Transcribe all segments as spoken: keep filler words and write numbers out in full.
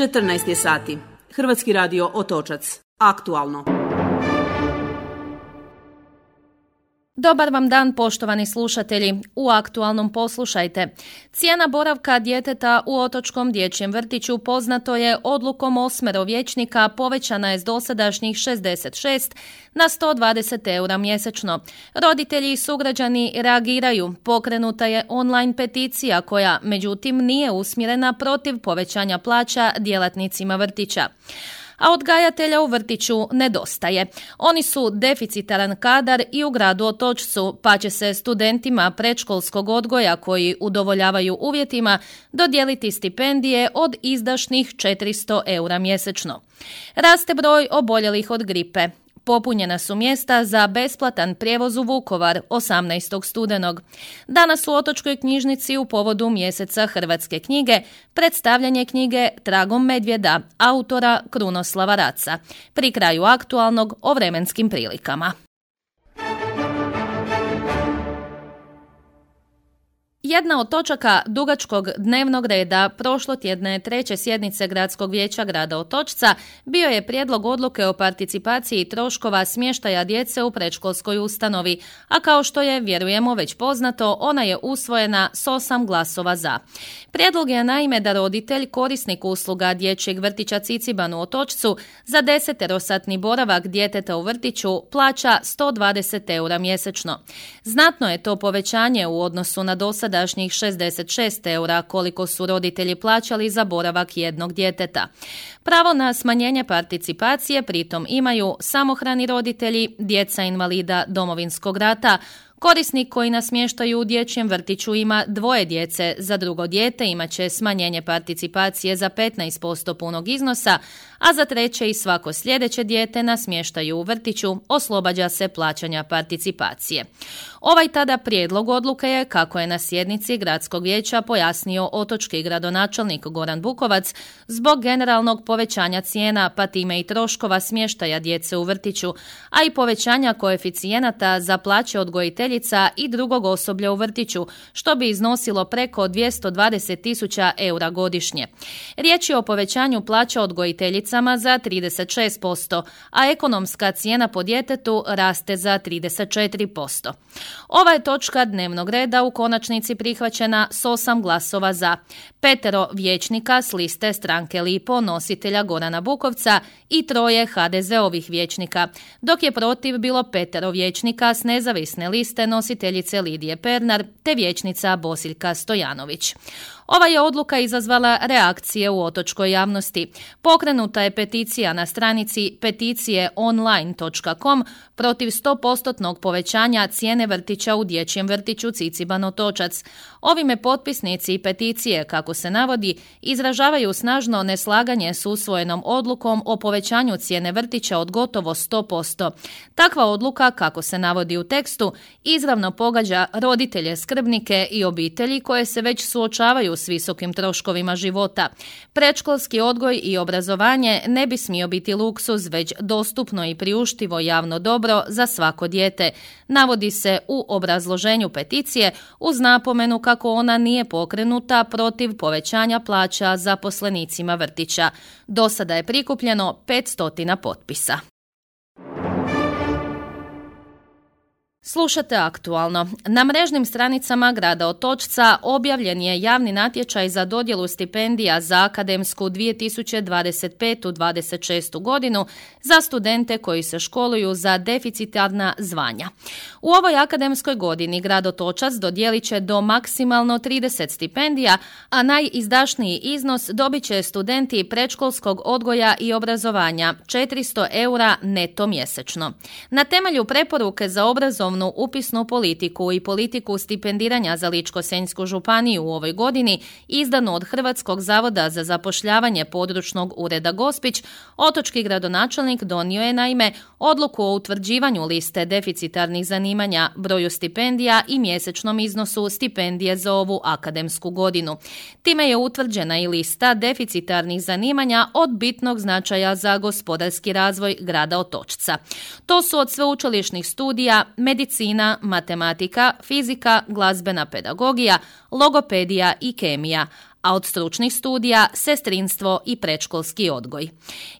četrnaest je sati. Hrvatski radio Otočac. Aktualno. Dobar vam dan, poštovani slušatelji. U aktualnom poslušajte. Cijena boravka djeteta u otočkom dječjem vrtiću poznato je odlukom osmero vijećnika povećana je s dosadašnjih šezdeset šest na sto dvadeset eura mjesečno. Roditelji i sugrađani reagiraju. Pokrenuta je online peticija koja, međutim, nije usmjerena protiv povećanja plaća djelatnicima vrtića. A odgajatelja u vrtiću nedostaje. Oni su deficitaran kadar i u gradu Otočcu, pa će se studentima predškolskog odgoja koji udovoljavaju uvjetima dodijeliti stipendije od izdašnih četiristo eura mjesečno. Raste broj oboljelih od gripe. Popunjena su mjesta za besplatan prijevoz u Vukovar osamnaestog studenog. Danas u Otočkoj knjižnici u povodu mjeseca hrvatske knjige predstavljanje knjige Tragom medvjeda autora Krunoslava Raca. Pri kraju aktualnog o vremenskim prilikama. Jedna od točaka dugačkog dnevnog reda prošlotjedne treće sjednice Gradskog vijeća grada Otočca bio je prijedlog odluke o participaciji troškova smještaja djece u predškolskoj ustanovi, a kao što je, vjerujemo, već poznato, ona je usvojena s osam glasova za. Prijedlog je naime da roditelj, korisnik usluga dječjeg vrtića Ciciban u Otočcu, za deseterosatni boravak djeteta u vrtiću plaća sto dvadeset eura mjesečno. Znatno je to povećanje u odnosu na dosad dašnjih šezdeset šest eura koliko su roditelji plaćali za boravak jednog djeteta. Pravo na smanjenje participacije pritom imaju samohrani roditelji, djeca invalida Domovinskog rata, korisnik koji na smještaju u dječjem vrtiću ima dvoje djece, za drugo dijete imat će smanjenje participacije za petnaest posto punog iznosa, a za treće i svako sljedeće dijete na smještaju u vrtiću oslobađa se plaćanja participacije. Ovaj tada prijedlog odluke je, kako je na sjednici Gradskog vijeća pojasnio otočki gradonačelnik Goran Bukovac, zbog generalnog povećanja cijena, pa time i troškova smještaja djece u vrtiću, a i povećanja koeficijenata za plaće odgojiteljica i drugog osoblja u vrtiću, što bi iznosilo preko dvjesto dvadeset tisuća eura godišnje. Riječ je o povećanju plaća odgojiteljicama za trideset šest posto, a ekonomska cijena po djetetu raste za trideset četiri posto. Ova je točka dnevnog reda u konačnici prihvaćena s osam glasova za. Petero vijećnika s liste stranke Lipo, nositelja Gorana Bukovca, i troje ha de zeovih vijećnika, dok je protiv bilo petero vijećnika s nezavisne liste nositeljice Lidije Pernar te vijećnica Bosiljka Stojanović. Ova je odluka izazvala reakcije u otočkoj javnosti. Pokrenuta je peticija na stranici peticije online točka com protiv sto posto povećanja cijene vrtića u dječjem vrtiću Ciciban Otočac. Ovime potpisnici peticije, kako se navodi, izražavaju snažno neslaganje s usvojenom odlukom o povećanju cijene vrtića od gotovo sto posto. Takva odluka, kako se navodi u tekstu, izravno pogađa roditelje, skrbnike i obitelji koje se već suočavaju s visokim troškovima života. Predškolski odgoj i obrazovanje ne bi smio biti luksuz, već dostupno i priuštivo javno dobro za svako dijete, navodi se u obrazloženju peticije uz napomenu kako ona nije pokrenuta protiv povećanja plaća zaposlenicima vrtića. Do sada je prikupljeno petsto potpisa. Slušate aktualno. Na mrežnim stranicama grada Otočca objavljen je javni natječaj za dodjelu stipendija za akademsku dvije tisuće dvadeset petu dvadeset šestu godinu za studente koji se školuju za deficitarna zvanja. U ovoj akademskoj godini grad Otočac dodijelit će do maksimalno trideset stipendija, a najizdašniji iznos dobit će studenti predškolskog odgoja i obrazovanja, četiristo eura neto mjesečno. Na temelju preporuke za obrazovnu upisnu politiku i politiku stipendiranja za Ličko-senjsku županiju u ovoj godini, izdanu od Hrvatskog zavoda za zapošljavanje područnog ureda Gospić, otočki gradonačelnik donio je naime odluku o utvrđivanju liste deficitarnih zanimanja, broju stipendija i mjesečnom iznosu stipendije za ovu akademsku godinu. Time je utvrđena i lista deficitarnih zanimanja od bitnog značaja za gospodarski razvoj grada Otočca. To su od sveučilišnih studija medicina, matematika, fizika, glazbena pedagogija, logopedija i kemija, a od stručnih studija sestrinstvo i predškolski odgoj.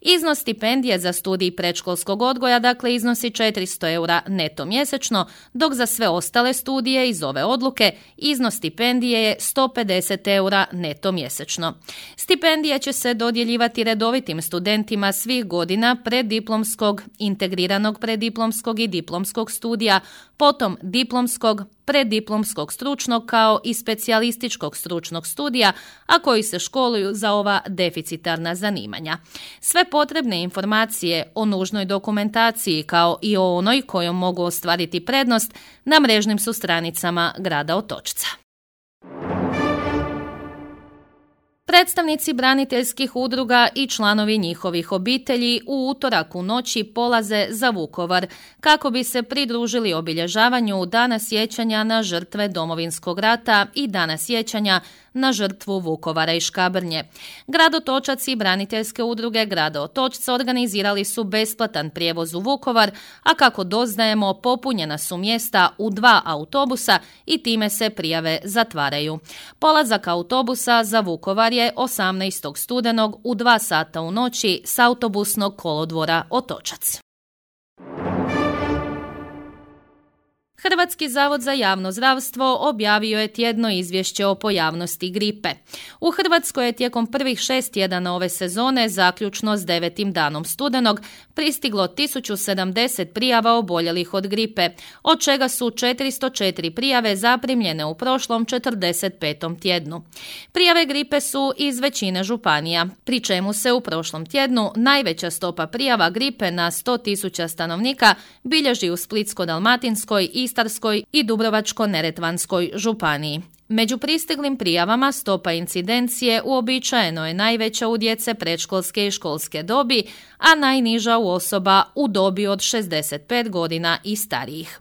Iznos stipendije za studij predškolskog odgoja dakle iznosi četiristo eura neto mjesečno, dok za sve ostale studije iz ove odluke iznos stipendije je sto pedeset eura neto mjesečno. Stipendija će se dodjeljivati redovitim studentima svih godina preddiplomskog, integriranog preddiplomskog i diplomskog studija, potom diplomskog, preddiplomskog stručnog kao i specijalističkog stručnog studija, a koji se školuju za ova deficitarna zanimanja. Sve potrebne informacije o nužnoj dokumentaciji kao i o onoj kojom mogu ostvariti prednost na mrežnim su stranicama grada Otočca. Predstavnici braniteljskih udruga i članovi njihovih obitelji u utorak u noći polaze za Vukovar kako bi se pridružili obilježavanju Dana sjećanja na žrtve Domovinskog rata i Dana sjećanja na žrtvu Vukovara i Škabrnje. Grad Otočac i braniteljske udruge grada Otočca organizirali su besplatan prijevoz u Vukovar, a kako doznajemo popunjena su mjesta u dva autobusa i time se prijave zatvaraju. Polazak autobusa za Vukovar je osamnaestog studenog u dva sata u noći s autobusnog kolodvora Otočac. Hrvatski zavod za javno zdravstvo objavio je tjedno izvješće o pojavnosti gripe. U Hrvatskoj je tijekom prvih šest tjedana ove sezone, zaključno s devetim danom studenog, pristiglo tisuću sedamdeset prijava oboljelih od gripe, od čega su četiristo četiri prijave zaprimljene u prošlom četrdeset petom tjednu. Prijave gripe su iz većine županija, pri čemu se u prošlom tjednu najveća stopa prijava gripe na sto tisuća stanovnika bilježi u Splitsko-dalmatinskoj, Istarskoj i Dubrovačko-neretvanskoj županiji. Među pristiglim prijavama stopa incidencije uobičajeno je najveća u djece predškolske i školske dobi, a najniža u osoba u dobi od šezdeset pet godina i starijih.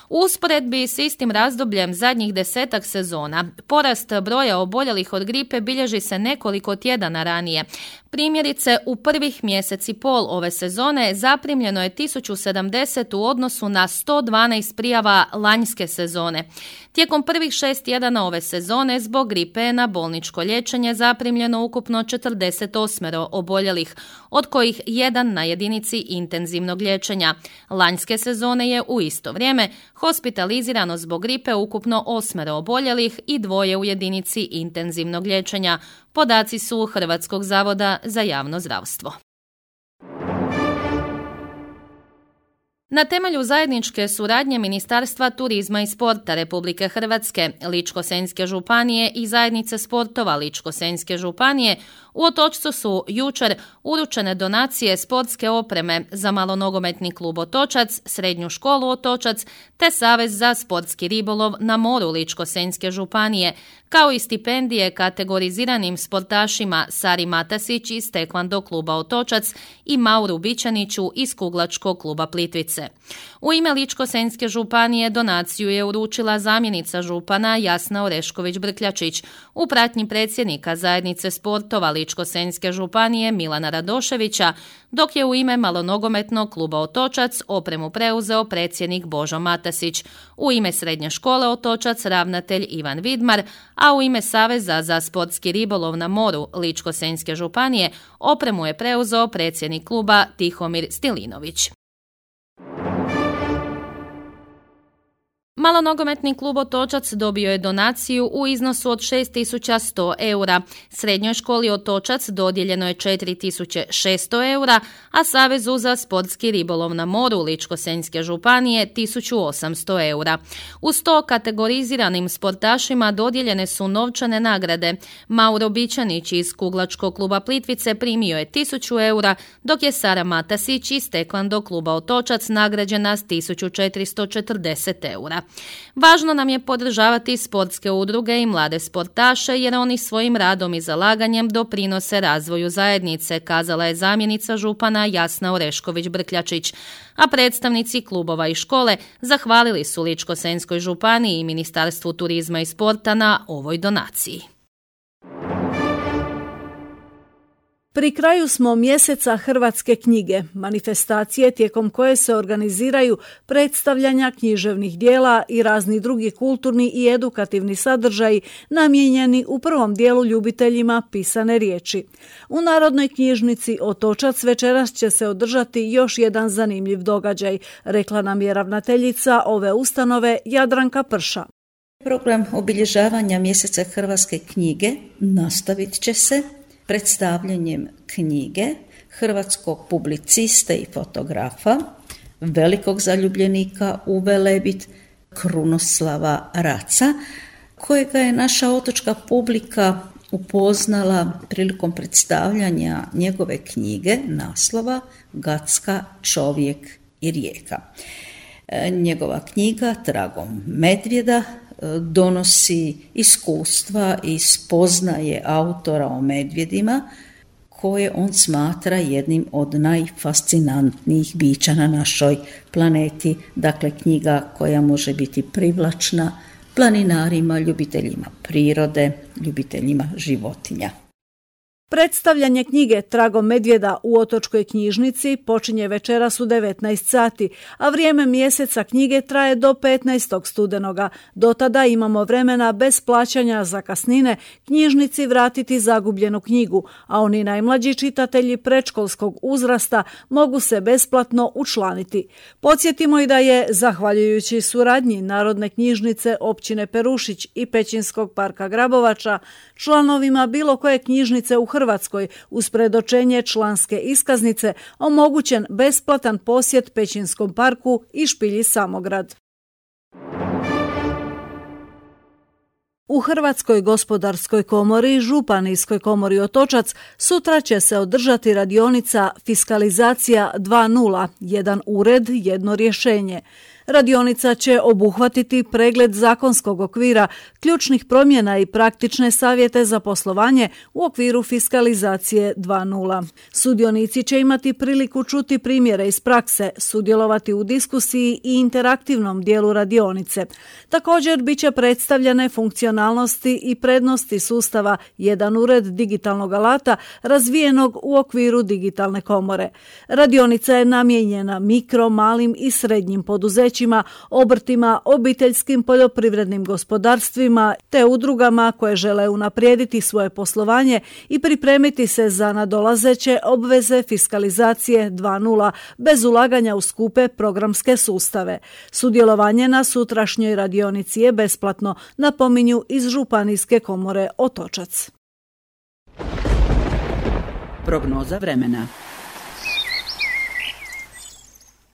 U usporedbi s istim razdobljem zadnjih desetak sezona, porast broja oboljelih od gripe bilježi se nekoliko tjedana ranije. Primjerice, u prvih mjesec i pol ove sezone zaprimljeno je tisuću sedamdeset u odnosu na sto dvanaest prijava lanjske sezone. Tijekom prvih šest tjedana ove sezone zbog gripe je na bolničko liječenje zaprimljeno ukupno četrdeset osam oboljelih, od kojih jedan na jedinici intenzivnog liječenja. Lanjske sezone je u isto vrijeme hospitalizirano zbog gripe ukupno osam oboljelih i dvoje u jedinici intenzivnog liječenja. Podaci su Hrvatskog zavoda za javno zdravstvo. Na temelju zajedničke suradnje Ministarstva turizma i sporta Republike Hrvatske, Ličko-senjske županije i zajednice sportova Ličko-senjske županije u Otočcu su jučer uručene donacije sportske opreme za malonogometni klub Otočac, srednju školu Otočac te Savez za sportski ribolov na moru Ličko-senjske županije, kao i stipendije kategoriziranim sportašima Sari Matasić iz Tekvando kluba Otočac i Mauru Bićaniću iz Kuglačkog kluba Plitvice. U ime Ličko-senjske županije donaciju je uručila zamjenica župana Jasna Orešković-Brkljačić u pratnji predsjednika zajednice sportova Ličko-senjske županije Milana Radoševića, dok je u ime malonogometnog kluba Otočac opremu preuzeo predsjednik Božo Matasić, u ime srednje škole Otočac ravnatelj Ivan Vidmar, a u ime Saveza za sportski ribolov na moru Ličko-senjske županije opremu je preuzeo predsjednik kluba Tihomir Stilinović. Malonogometni klub Otočac dobio je donaciju u iznosu od šest tisuća sto eura. Srednjoj školi Otočac dodijeljeno je četiri tisuće šesto eura, a Savezu za sportski ribolov na moru Ličko-senjske županije tisuću osamsto eura. Uz to kategoriziranim sportašima dodijeljene su novčane nagrade. Mauro Bićanić iz Kuglačkog kluba Plitvice primio je tisuću eura, dok je Sara Matasić iz Tekvando kluba Otočac nagrađena s tisuću četiristo četrdeset eura. Važno nam je podržavati sportske udruge i mlade sportaše jer oni svojim radom i zalaganjem doprinose razvoju zajednice, kazala je zamjenica župana Jasna Orešković-Brkljačić, a predstavnici klubova i škole zahvalili su Ličko-senjskoj županiji i Ministarstvu turizma i sporta na ovoj donaciji. Pri kraju smo mjeseca hrvatske knjige, manifestacije tijekom koje se organiziraju predstavljanja književnih dijela i razni drugi kulturni i edukativni sadržaji namijenjeni u prvom dijelu ljubiteljima pisane riječi. U Narodnoj knjižnici Otočac večeras će se održati još jedan zanimljiv događaj, rekla nam je ravnateljica ove ustanove Jadranka Prša. Program obilježavanja mjeseca hrvatske knjige nastavit će se predstavljanjem knjige hrvatskog publiciste i fotografa, velikog zaljubljenika u Velebit, Krunoslava Raca, kojega je naša otočka publika upoznala prilikom predstavljanja njegove knjige naslova Gacka, čovjek i rijeka. Njegova knjiga Tragom medvjeda donosi iskustva i spoznaje autora o medvjedima koje on smatra jednim od najfascinantnijih bića na našoj planeti. Dakle, knjiga koja može biti privlačna planinarima, ljubiteljima prirode, ljubiteljima životinja. Predstavljanje knjige Tragom medvjeda u Otočkoj knjižnici počinje večeras u devetnaest sati, a vrijeme mjeseca knjige traje do petnaestog studenoga. Do tada imamo vremena bez plaćanja zakasnine knjižnici vratiti zagubljenu knjigu, a oni najmlađi čitatelji predškolskog uzrasta mogu se besplatno učlaniti. Podsjetimo i da je, zahvaljujući suradnji Narodne knjižnice općine Perušić i Pećinskog parka Grabovača, članovima bilo koje knjižnice u Hrvatskoj uz predočenje članske iskaznice omogućen besplatan posjet Pećinskom parku i špilji Samograd. U Hrvatskoj gospodarskoj komori, Županijskoj komori Otočac, sutra će se održati radionica Fiskalizacija dva nula, jedan ured, jedno rješenje. Radionica će obuhvatiti pregled zakonskog okvira, ključnih promjena i praktične savjete za poslovanje u okviru fiskalizacije dva nula. Sudionici će imati priliku čuti primjere iz prakse, sudjelovati u diskusiji i interaktivnom dijelu radionice. Također bit će predstavljene funkcionalnosti i prednosti sustava jedan ured digitalnog alata razvijenog u okviru digitalne komore. Radionica je namijenjena mikro, malim i srednjim poduzećima, obrtima, obiteljskim poljoprivrednim gospodarstvima te udrugama koje žele unaprijediti svoje poslovanje i pripremiti se za nadolazeće obveze fiskalizacije dva nula bez ulaganja u skupe programske sustave. Sudjelovanje na sutrašnjoj radionici je besplatno, napominju iz Županijske komore Otočac. Prognoza vremena.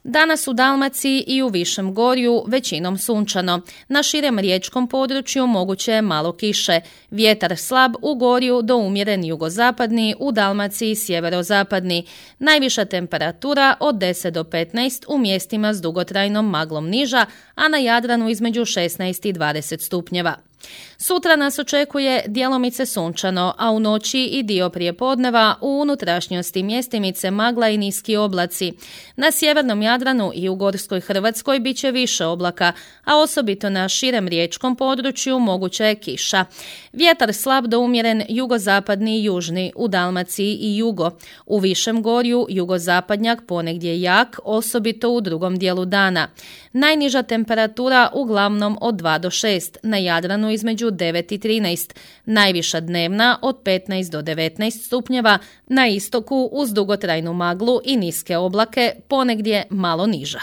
Danas u Dalmaciji i u Višem Gorju većinom sunčano. Na širem riječkom području moguće je malo kiše. Vjetar slab u Gorju do umjeren jugozapadni, u Dalmaciji sjeverozapadni. Najviša temperatura od deset do petnaest, u mjestima s dugotrajnom maglom niža, a na Jadranu između šesnaest i dvadeset stupnjeva. Sutra nas očekuje djelomice sunčano, a u noći i dio prijepodneva u unutrašnjosti mjestimice magla i niski oblaci. Na sjevernom Jadranu i u Gorskoj Hrvatskoj bit će više oblaka, a osobito na širem riječkom području moguća je kiša. Vjetar slab do umjeren jugozapadni i južni, u Dalmaciji i jugo. U Višem Gorju jugozapadnjak ponegdje jak, osobito u drugom dijelu dana. Najniža temperatura uglavnom od dva do šest, na Jadranu između devet i trinaest, najviša dnevna od petnaest do devetnaest stupnjeva, na istoku uz dugotrajnu maglu i niske oblake, ponegdje malo niža.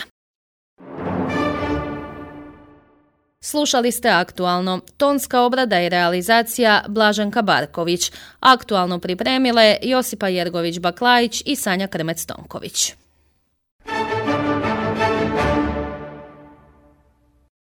Slušali ste Aktualno. Tonska obrada i realizacija Blaženka Barković. Aktualno pripremile Josipa Jergović-Baklajić i Sanja Krmec-Tonković.